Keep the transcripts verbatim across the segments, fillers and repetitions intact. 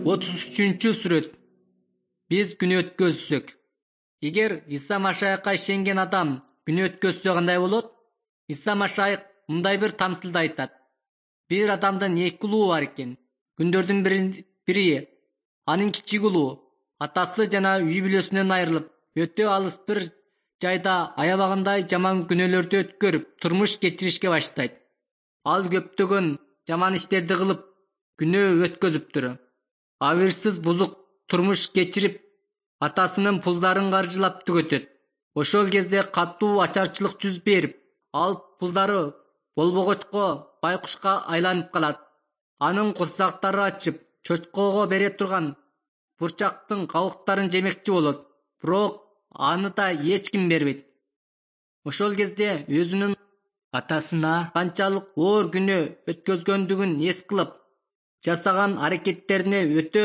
отуз үчүнчү сүрөт. Биз күнөө өткөзсөк. Эгер Иса Машаякка ишенген адам күнөө өткөзсө кандай болот? Иса Машаяк мындай бир тамсылда айтат. Бир адамдын эки улуу бар экен. Күндөрдүн бири, бири анын кичик улуу атасы жана үй бүлөсүнөн айрылып, өтө алыс бир жайда аябагандай жаман күнөөлөрдү өткөрүп, турмуш кечиришке баштайт. Ал көптөгөн жаман иштерди кылып, күнөө өткөзүптүр. Абырсыз бузук турмуш кечирип, атасынын пулдарын каржылап түгөтөт. Ошол кезде катуу ачарчылык жүз берип, ал пулдары болбогочко байкушка айланып калат. Анын курсактары ачып, чочкого бере турган бурчактын кабыктарын жемекчи болот, бирок аны да эч ким бербейт. Ошол кезде өзүнүн атасына канчалык оор күнөө өткөзгөндүгүн эс кылып, жасаган аракеттерине өтө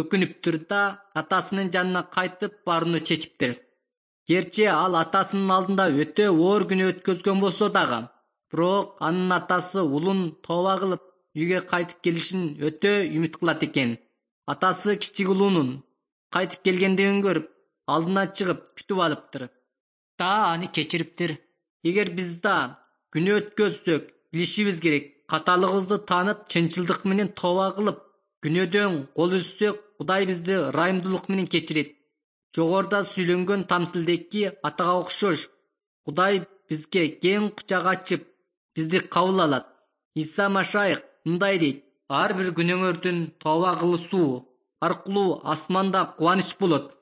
өкүнүптүр да атасынын жанына кайтып барууну чечиптир. Герчи ал атасынын алдында өтө оор күнөө өткөзгөн болсо дагы, бирок анын атасы улун тооба кылып үйгө кайтып келишин өтө үмүт кылат экен. Атасы кичик улуунун кайтып келгендигин көрүп, алдына чыгып күтүп алыптыр да аны кечириптир. Эгер биз да күнөө өткөзсөк, билишибиз керек, каталыгыбызды таанып, чынчылдык менен тооба кылып, күнөөдөн кол үзсөк, Кудай бизди ырайымдуулук менен кечирет. Жогоруда сүйлөнгөн тамсылдеки атага окшош, Кудай бизге кең кучак ачып, бизди кабыл алат. Иса Машаяк мындай дейт: ар бир күнөөңөрдүн тооба кылысуу аркылуу асманда кубаныч болот.